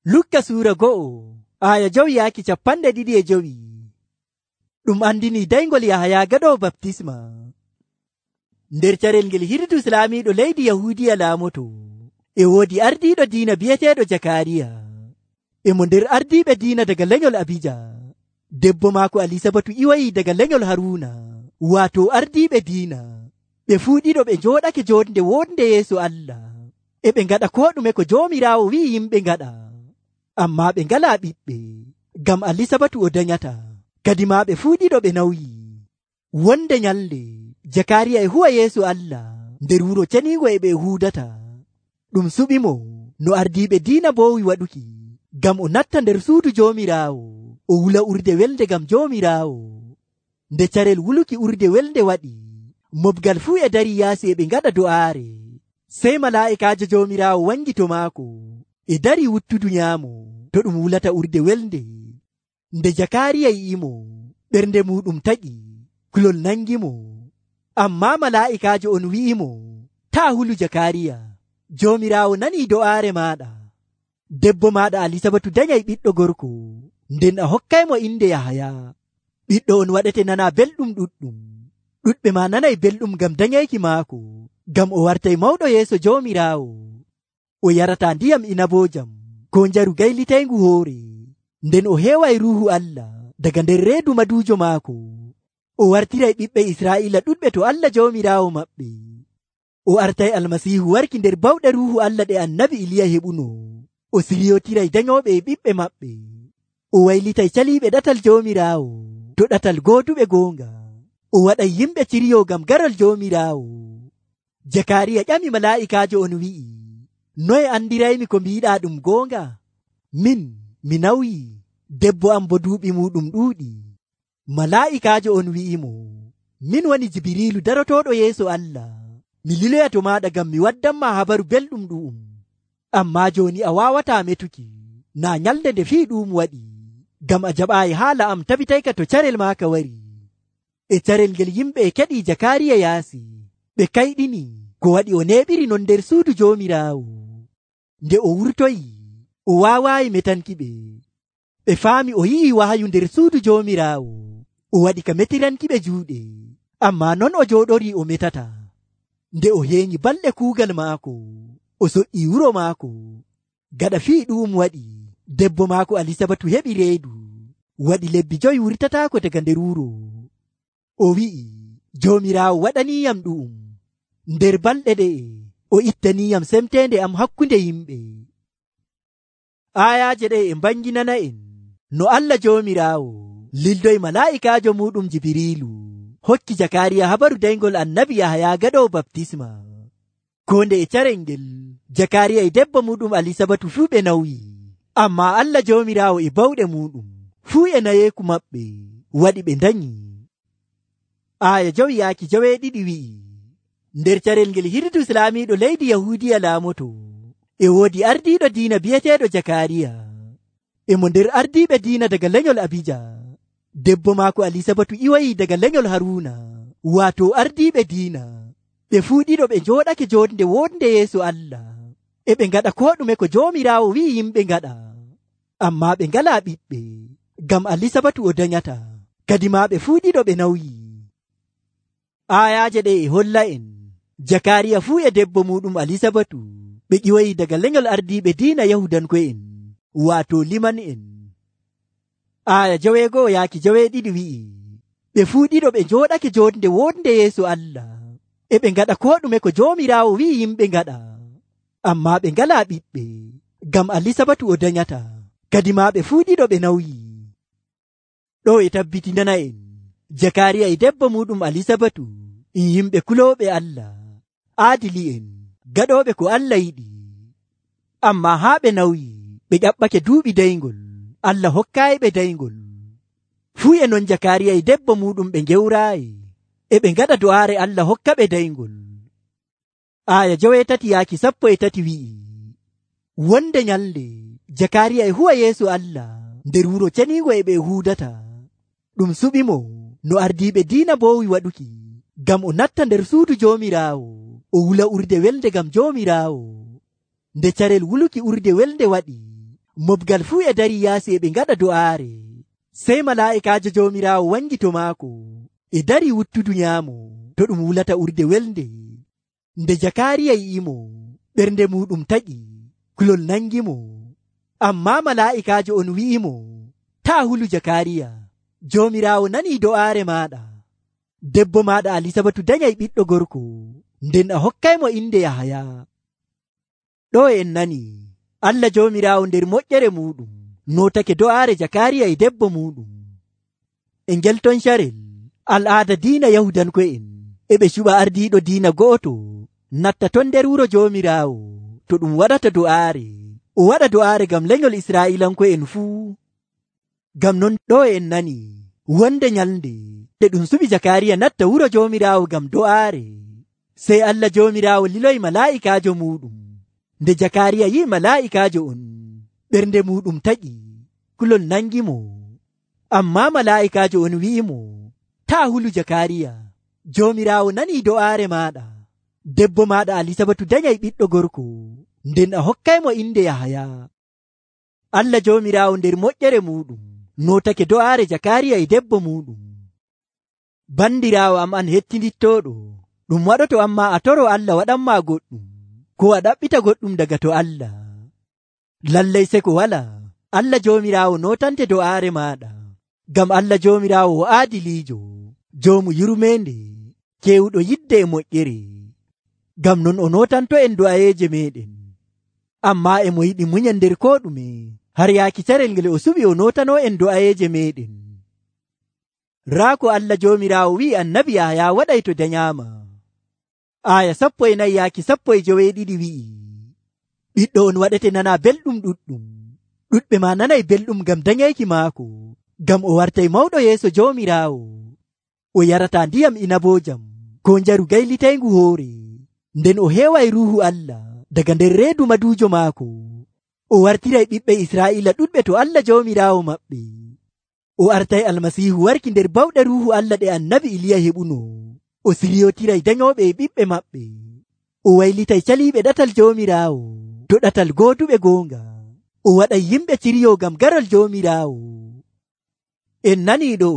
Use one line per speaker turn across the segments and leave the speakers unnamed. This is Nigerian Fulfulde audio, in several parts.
Lukka suura 1:2. Ɗum andini daygol Yahaya gaɗowo baptisma. Nder carel ngel Hiridus laamiiɗo leydi Yahuudiya laamoto, e woodi ardiiɗo diina bi'eteeɗo Jakariya. E mo nder ardiiɓe diina daga lenyol Abija. Debbo maako Alisabatu iwayi daga lenyol Haruuna, waato ardiiɓe diina. Ɓe fuu ɗiɗo ɓe njooɗake jonde wonde yeeso Allah. E ɓe ngaɗa ko ɗume ko Joomiraawo wi'i yimɓe ngaɗa. Ammaa ɓe ngalaa ɓiɓɓe, ngam Alisabatu o danyata. Kadi maa ɓe fuu ɗiɗo ɓe nawyi. Wonde nyalde Jakariya e huwa yeeso Allah nder wuro ceniingo e ɓe huudata. Ɗum suɓimo no ardiiɓe diina mboowi waɗuki, ngam o natta nder suudu Joomiraawo o wula urde welde ngam Joomiraawo. Nde carel wuluki urde welde waɗi, mobgal fuu e dari yaasi e ɓe ngaɗa do'aare. Sey malaa'ikaajo Joomiraawo wangi to maako e dari wuttudu nyaamo to ɗum wulata urde welde. Nde Jakariya yi'imo, ɓernde muɗum taƴi, kulol nangimo. Ammaa malaa'ikaajo on wi'imo, taa hulu Jakariya, Joomiraawo nanii do'aare maaɗa. Debbo maaɗa Alisabatu danyay ɓiɗɗo gorko, nden a hokkaymo inde Yahaya. Ɓiɗɗo on waɗete nana belɗum ɗuɗɗum. Ɗuɗɓe maa nanay belɗum ngam danyayki maako, ngam o wartay mawɗo yeeso Joomiraawo. O yarataa ndiyam inaboojam ko njaru gaylitayngu hoore. Nden o heeway Ruuhu Allah daga nder reedu maduujo maako. O wartiray ɓiɓɓe Israa'iila ɗuɗɓe to Allah Joomiraawo maɓɓe. O artay Almasiihu warki nder bawɗe Ruuhu Allah ɗe Annabi Iliya heɓuno. O siryotiray danyooɓe e ɓiɓɓe maɓɓe. O waylitay caliiɓe ɗatal Joomiraawo to ɗatal gooduɓe goonga. O waɗay yimɓe ciryo ngam garol Joomiraawo. Jakariya ƴami malaa'ikaajo on wi'i, noye andiraymi ko mbiiɗaa ɗum goonga? Mi nawyi, debbo am bo duuɓi muɗum ɗuuɗi. Malaa'ikaajo on wi'imo, min woni Jibiriilu darotooɗo yeeso Allah. Mi liloya to maaɗa ngam mi waddanma habaru belɗum ɗu'um. Ammaa jooni a waawataa metuki, naa nyalde nde fii ɗum waɗi, ngam a jaɓaayi haala am tabitayka to carel maaka wari. E carel ngel yimɓe e keɗii Jakariya yaasi, ɓe kayɗini ko waɗi o neeɓiri non nder suudu Joomiraawo. Nde o wurtoyi, o waawaayi metanki ɓe. Ɓe faami o yi'i wahayu nder suudu Joomiraawo. O waɗi ka metiranki ɓe juuɗe, ammaa non o jooɗorii o metata. Nde o heeñi balɗe kuugal maako, o soƴƴii wuro maako. Gaɗa fii ɗum waɗi, debbo maako Alisabatu heɓi reedu, waɗi lebbi 5 wurtataako daga nder wuro. O wi'i, Joomiraawo waɗaniiyam ɗu'um. Nder balɗe ɗe'e, o ittaniiyam semteende am hakkunde yimɓe. Aayaaje ɗe e mbanginana en no Allah Joomiraawo lildoy malaa'ikaajo muɗum Jibiriilu hokki Jakariya habaru daygol Annabi Yahaya gaɗowo baptisma. Ko nde e carel ngel Jakariya e debbo muɗum Alisabatu fuu ɓe nawyi. Ammaa Allah Joomiraawo e bawɗe muɗum fuu e nayeeku maɓɓe waɗi ɓe danyi. Aaya 2 wi'i, nder carel ngel Hiridus laamiiɗo leydi Yahuudiya laamoto, e woodi ardiiɗo diina bi'eteeɗo Jakariya. E mo nder ardiiɓe diina daga lenyol Abija. Debbo maako Alisabatu iwayi daga lenyol Haruuna, waato ardiiɓe diina. Ɓe fuu ɗiɗo ɓe njooɗake jonde wonde yeeso Allah. E ɓe ngaɗa ko ɗume ko Joomiraawo wi'i yimɓe ngaɗa. Ammaa ɓe ngalaa ɓiɓɓe, ngam Alisabatu o danyata. Kadi maa ɓe fuu ɗiɗo ɓe nawyi. Aayaaje ɗe e holla en Jakariya fuu e debbo muɗum Alisabatu ɓe ƴiwoyi daga lenyol ardiiɓe diina Yahudanko'en, waato liman en. Aaya 2:2 wi'i, ɓe fuu ɗiɗo ɓe njooɗake jonde wonde yeeso Allah. E ɓe ngaɗa ko ɗume ko Joomiraawo wi'i yimɓe ngaɗa. Ammaa ɓe ngalaa ɓiɓɓe, ngam Alisabatu o danyata. Kadi maa ɓe fuu ɗiɗo ɓe nawyi. Ɗo e tabbitinana en Jakariya e debbo muɗum Alisabatu yimɓe kulooɓe Allah, aadili'en, gaɗooɓe ko Allah yiɗi. Ammaa haa ɓe nawyi, ɓe ƴaɓɓake duuɓi daygol, Allah hokkaayiɓe daygol. Fuu e non Jakariya e debbo muɗum ɓe ngewraayi, e ɓe ngaɗa do'aare Allah hokka ɓe daygol. Aaya 3:13 wi'i, wonde nyalde Jakariya e huwa yeeso Allah nder wuro ceniingo e ɓe huudata. Ɗum suɓimo no ardiiɓe diina mboowi waɗuki, ngam o natta nder suudu Joomiraawo o wula urde welde ngam Joomiraawo. Nde carel wuluki urde welde waɗi, Mobgal fuu e dari yaasi e ɓe ngaɗa do'aare. Sey malaa'ikaajo Joomiraawo wangi to maako e dari wuttudu nyaamo to ɗum wulata urde welnde. Nde Jakaariya yi'imo, ɓernde muɗum taƴi, kulol nangimo. Ammaa malaa'ikaajo on wi'imo, taa hulu Jakaariya, Joomiraawo nanii do'aare maaɗa. Debbo maaɗa Alisabatu danyay ɓiɗɗo gorko, nden a hokkaymo inde Yahaya. Ɗo en nani Allah Joomiraawo nder moƴƴere muɗum notake do'aare Jakaariya e debbo muɗum. E ngel ton carel al'aada diina Yahudanko'en e ɓe cuɓa ardiiɗo diina go'oto natta ton nder wuro Joomiraawo to ɗum waɗata do'aare. O waɗa do'aare ngam lenyol Israa'iilanko'en fuu. Ngam non ɗo en nani wonde nyalnde nde ɗum suɓi Jakaariya natta wuro Joomiraawo ngam do'aare. Sey Allah Joomiraawo liloyi malaa'ikaajo muɗum. Nde Jakaariya yi'i malaa'ikaajo on, ɓernde muɗum taƴi, kulol nangimo. Ammaa malaa'ikaajo on wi'imo, taa hulu Jakaariya, Joomiraawo nanii do'aare maaɗa. Debbo maaɗa Alisabatu danyay ɓiɗɗo gorko, nden a hokkaymo inde Yahaya. Allah Joomiraawo nder moƴƴere muɗum notake do'aare Jakaariya e debbo muɗum. Bandiraawo am an hettindittooɗo, ɗum waɗoto amma a toro Allah waɗanma goɗɗum, ko a ɗaɓɓita goɗɗum daga to Allah. Lallay seko wala, Allah Joomiraawo notante do'aare maaɗa, ngam Allah Joomiraawo o aadiliijo, joomu yurmeende, keewuɗo yidde e moƴƴere. Ngam non o notanto en do'ayeeje meɗen. Ammaa e mo yiɗi muñal nder ko ɗume, har yaaki carel ngel o suɓi o notano en do'ayeeje meɗen. Raa ko Allah Joomiraawo wi'i annabi Yahaya waɗay to danyaama. Aya 14 yaaki 12 wi'i, ɓiɗɗo on waɗete nana belɗum ɗuɗɗum, ɗuɗɓe ma nanay belɗum ngam danyayki maako, ngam o wartay mawɗo yeeso Joomiraawo. O yarata ndiyam inaboojam ko njaru gaylitayngu hoore, nden o heeway ruuhu Allah daga nder reedu maduujo maako. O wartiray ɓiɓɓe Israa'iila ɗuɗɓe to Allah Joomiraawo maɓɓe. O artay Almasiihu warki nder bawɗe ruuhu Allah ɗe annabi Iliya heɓuno. O siryotiray danyooɓe e ɓiɓɓe maɓɓe. O waylitay caliiɓe ɗatal Joomiraawo to ɗatal gooduɓe goonga. O waɗay yimɓe ciryo ngam garol Joomiraawo. En nanii ɗo,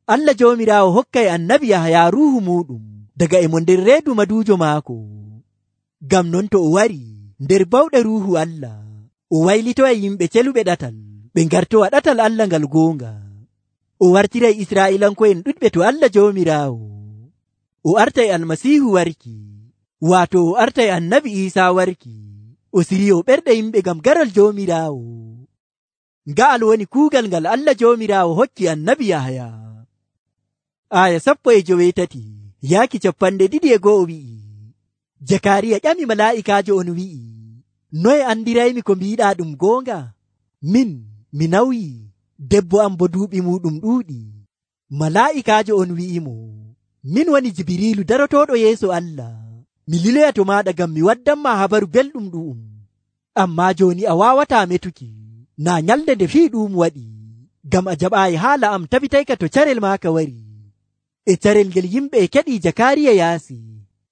Allah Joomiraawo hokkay annabi Yahaya ruuhu muɗum daga e mo nder reedu maduujo maako. Ngam non to o wari nder bawɗe ruuhu Allah, o waylitoya yimɓe celuɓe ɗatal ɓe ngartowa ɗatal Allah ngal goonga. O wartiray Israa'iilanko'en ɗuɗɓe to Allah Joomiraawo. O artay Almasiihu warki, waato o artay annabi Iisaa warki. O siryo ɓerɗe yimɓe ngam garol Joomiraawo. Nga'al woni kuugal ngal Allah Joomiraawo hokki annabi Yahaya. Aya 13 yaaki 21 wi'i, Jakaariya ƴami malaa'ikaajo on wi'i, noye andiraymi ko mbiɗa ɗum goonga? Min, mi nawyi, debbo am bo duuɓi muɗum ɗuuɗi. Malaa'ikaajo on wi'imo, min woni Jibiriilu darotoɗo yeeso Allah. Mi liloya to maɗa ngam mi waddanma habaru belɗum ɗu'um. Ammaa jooni a waawataa metuki, na nyalde nde fii ɗum waɗi, ngam a jaɓaayi haala am tabitayka to carel maaka wari. E carel ngel yimɓe e keɗi Jakaariya yaasi,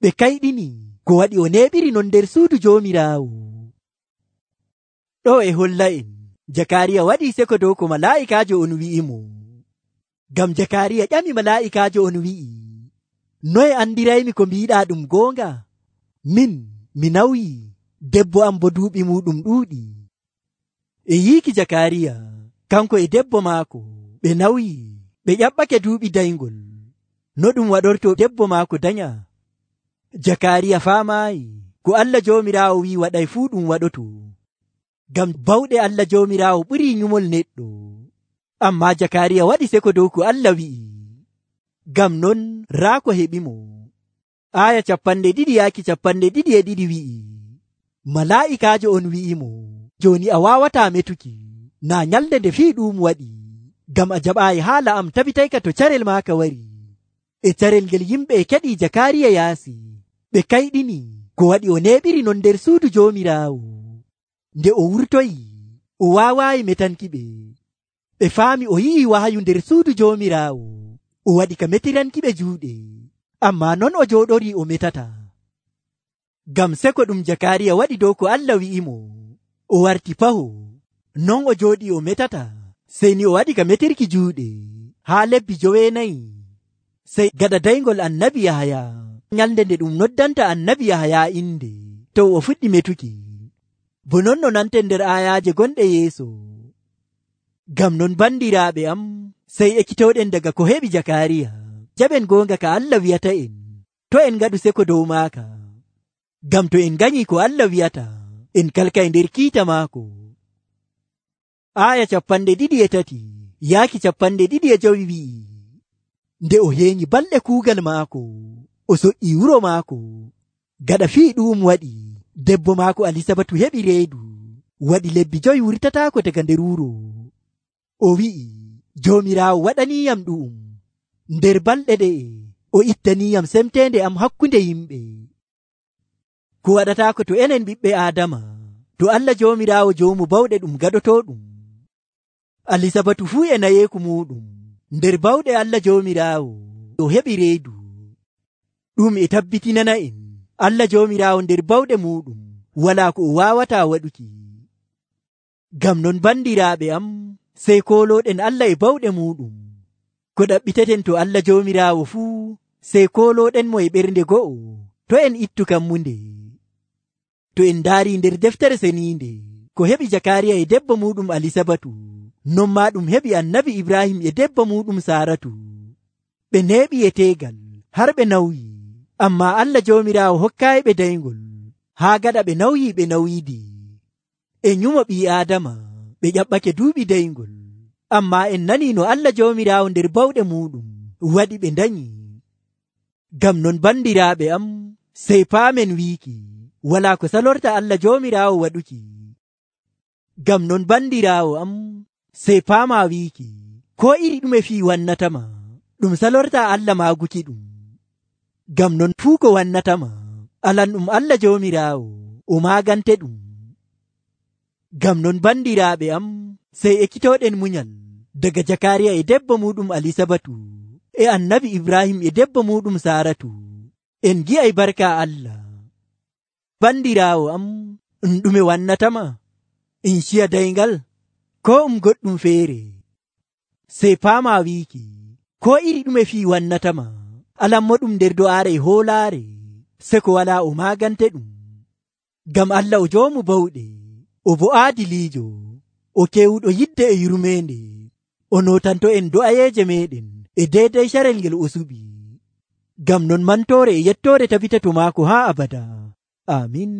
ɓe kayɗini ko waɗi o neɓiri non nder suudu Joomiraawo. Ɗo e holla en Jakaariya waɗi seko dow ko malaa'ikaajo on wi'imo. Ngam Jakaariya ƴami malaa'ikaajo on wi'i, noye andiraymi ko mbiɗa ɗum goonga? Min, mi nawyi, debbo am bo duuɓi muɗum ɗuuɗi. E yiiki Jakaariya, kanko e debbo maako, ɓe nawyi, ɓe ƴaɓɓake duuɓi dayngol. No ɗum waɗorto debbo maako danya? Jakaariya faamaayi ko Allah Joomiraawo wi'i waɗay fuu ɗum waɗoto. Ngam bawɗe Allah Joomiraawo ɓurii nyumol neɗɗo. Ammaa Jakaariya waɗi seko dow ko Allah wi'i. Ngam non raa ko heɓimo. Aya 2 yaaki 22 wi'i, malaa'ikaajo on wi'imo, jooni a waawataa metuki, na nyalde nde fii ɗum waɗi, ngam a jaɓaayi haala am tabitayka to carel maaka wari. E carel ngel yimɓe e keɗi Jakaariya yaasi, ɓe kayɗini ko waɗi o neɓiri non nder suudu Joomiraawo. Nde o wurtoyi, o waawaayi metanki ɓe. Ɓe faami o yi'i wahayu nder suudu Joomiraawo. O waɗi ka metiranki ɓe juuɗe, ammaa non o jooɗori o metata. Ngam seko ɗum Jakaariya waɗi dow ko Allah wi'imo, o warti paho. non o jooɗi o metata, sey ni o waɗi ka metirki juuɗe haa lebbi 9. Sey gaɗa dayngol annabi Yahaya, nyalnde nde ɗum noddanta annabi Yahaya inde, to o fuɗɗi metuki. Bo non no nanten nder ayaaje gonɗe yeeso. Ngam non bandiraaɓe am, sey ekkitoɗen daga ko heɓi Jakariya, jaɓen goonga ka Allah wi'ata en, to en ngaɗu seko dow maaka. Ngam to en ganyi ko Allah wi'ata, en kalka e nder kiita maako. Aya 23 yaaki 25 wi'i, nde o heeñi balɗe kuugal maako, o soƴƴi wuro maako. Gaɗa fii ɗum waɗi, debbo maako Alisabatu heɓi reedu, waɗi lebbi 5 wurtataako daga nder wuro. O wi'i, Joomiraawo waɗaniyam ɗum, nder balɗe ɗe'e o ittaniyam semtende am hakkunde yimɓe. Ko waɗataako to enen ɓiɓɓe Aadama, to Allah Joomiraawo joomu bawɗe ɗum gaɗotooɗum. Alisabatu fuu e nayeeku muɗum, nder bawɗe Allah Joomiraawo o heɓi reedu. Ɗum e tabbitinana en, Allah Joomiraawo nder bawɗe muɗum walaa ko o waawataa waɗuki. Ngam non bandiraaɓe am, sey koolooɗen Allah e bawɗe muɗum. Ko ɗaɓɓiteten to Allah Joomiraawo fuu, sey koolooɗen mo e ɓernde go'o, to en ittu kammunde. To en ndaari nder deftere seniinde, ko heɓi Jakariya e debbo muɗum Alisabatu, non maa ɗum heɓi annabi Ibrahim e debbo muɗum Saratu. Ɓe neeɓi e teegal har ɓe nawyi, ammaa Allah Joomiraawo hokkaayiɓe dayngol, haa gaɗa ɓe nawyiidi. E nyumo ɓii Aadama, ɓe ƴaɓɓake duuɓi dayngol, ammaa en nanii no Allah Joomiraawo nder bawɗe muɗum waɗi ɓe ndanyi. Ngam non bandiraaɓe am, sey paamen wiiki, walaa ko salorta Allah Joomiraawo waɗuki. Ngam non bandiraawo am, sey paamaa wiiki, ko iri ɗume fii wannatama, ɗum salorta Allah maaguki ɗum. Ngam non fuu ko wannatama, alan ɗum Allah Joomiraawo, o maagante ɗum. Ngam non bandiraaɓe am, sey ekkitoɗen munyal daga Jakariya e debbo muɗum Alisabatu, e annabi Ibrahim e debbo muɗum Saratu. En gi'ay barka Allah. Bandiraawo am, ɗume wannatama? In ciya dayngal, ko goɗɗum feere? Sey paamaa wiiki, ko iri ɗume fii wannatama, alan moɗum nder do'aare e hoolaare, seko walaa o maagante ɗum. Ngam Allah o joomu bawɗe, o bo aadiliijo, o kewuɗo yidde e yurmeende, o nootanto en do'ayeeje meɗen e deydey carel ngel o suɓi. Ngam non mantoore e yettoore tabita to maako haa abada. Amin.